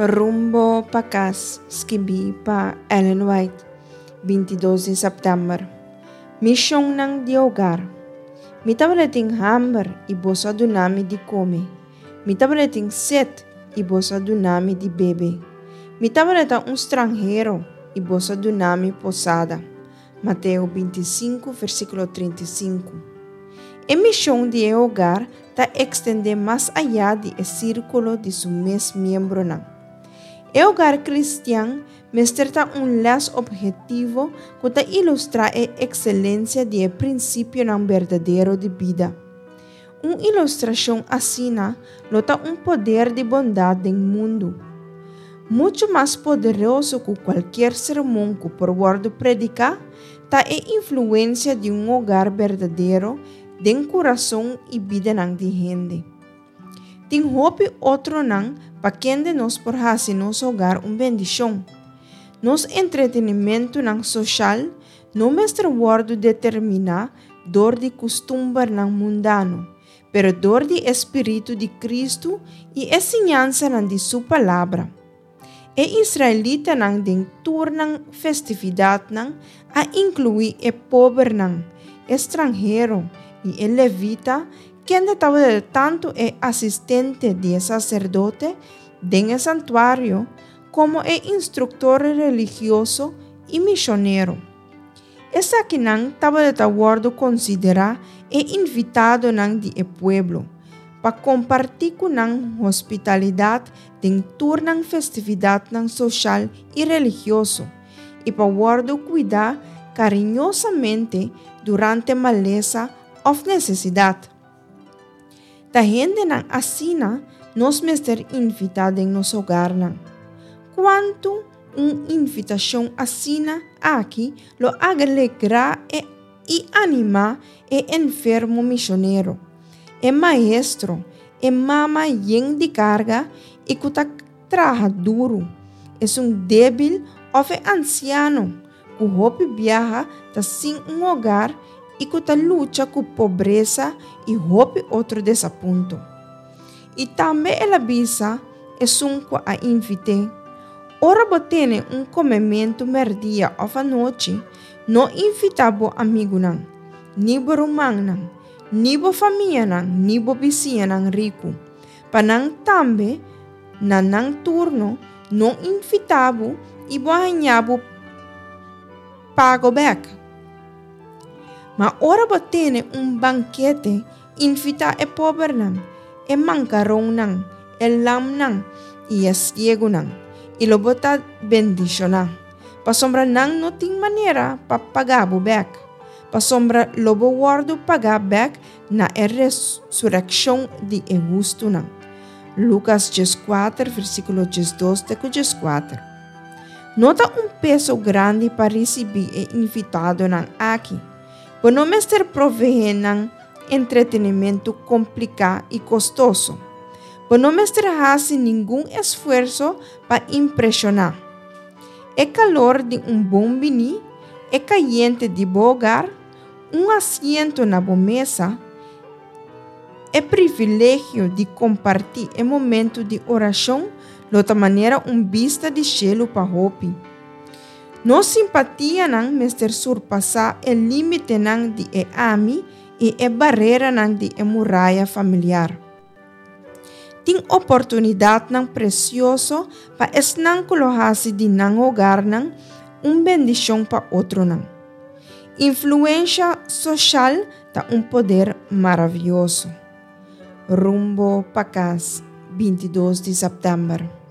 Rumbo pa Kas, skibí pa Ellen White, 22 di sèptèmber. Mishonnan di hogar. Mi tabata tin hamber i boso a duna mi di kome. Mi tabata tin set i boso a duna mi di bebe. Mi tabata un stranhero i boso a duna mi posada. Mateo 25, versíkulo 35. E mishon di e hogar ta ekstendé mas ayá di e sírkulo di su mes miembronan. E hogar kristian mester ta un lès ophetivo ku ta ilustrá e ekselensia di e prinsipionan berdadero di bida. Un ilustrashon asina lo ta un poder di bondat den mundu. Muchu mas poderoso ku kualkier sermon ku por wòrdu prediká ta e influensia di un hogar berdadero den kurason i bidanan di hende. Tin hopi otronan pa kende nos por hasi nos hogar un bendishon. Nos entretenimentunan soshal no mester wòrdu determiná dor di kustumbernan mundano, pero dor di e spiritu di Kristu i e siñansanan di Su Palabra. E israelitanan den tur nan festividatnan a inkluí e pobernan, e stranhero i e levita kende tabata tantu e asistente di e saserdote den e santuario komo e instruktor religioso i mishonero. Esakinan tabata wòrdu konsiderá e invitadonan di e pueblo, pa kompartí ku nan hospitalidat den tur nan festividatnan soshal i religioso, i pa wòrdu kuidá kariñosamente durante malesa òf nesesidat. Ta hendenan asina nos mester invitá den nos hogarnan. Kuantu un invitashon asina aki lo alegrá e i animá e enfermo mishonero, e maestro, e mama yen di karga i ku ta traha duru, esun débil òf e ansiano ku hopi biaha ta sin un hogar i ku ta lucha ku pobresa i hopi otro desapunto. I tambe el a bisa esun ku a invit'é, Ora bo tene un komementu mèrdia òf anochi, no invitá bo amigunan, ni bo rumannan, ni bo famianan ni bo bisiñanan riku, pa nan tambe na nan turno no invitá bo i bo haña bo pago bèk. Ma ora bo tene un bankete, invitá e pobernan, e mankaronnan, e lamnan i e siegunan, i lo bo ta bendishoná, pasobra nan no tin manera pa paga bo bèk, pasobra lo bo wòrdu pagá bèk na e resurekshon di e hustunan. Lukas 14, versíkulo 12 te ku 14. No ta un peso grandi pa risibí e invitadonan aki. Bo no mester proveé nan entretenimentu kompliká i kostoso. Bo no mester hasi ningun esfuerso pa impreshoná. E kalor di un bon biní, e kayente di bo hogar, un asiento na bo mesa, e privilegio di kompartí e momentu di orashon lo ta manera un bista di shelu pa hopi. Nos simpatianan mester surpasá e límitenan di e ami i e bareranan di e muraya familiar. Tin oportunidatnan presioso pa esnan ku lo hasi di nan hogarnan un bendishon pa otronan. Influensha soshal ta un poder maravioso. Rumbo pa kas, 22 di sèptèmber.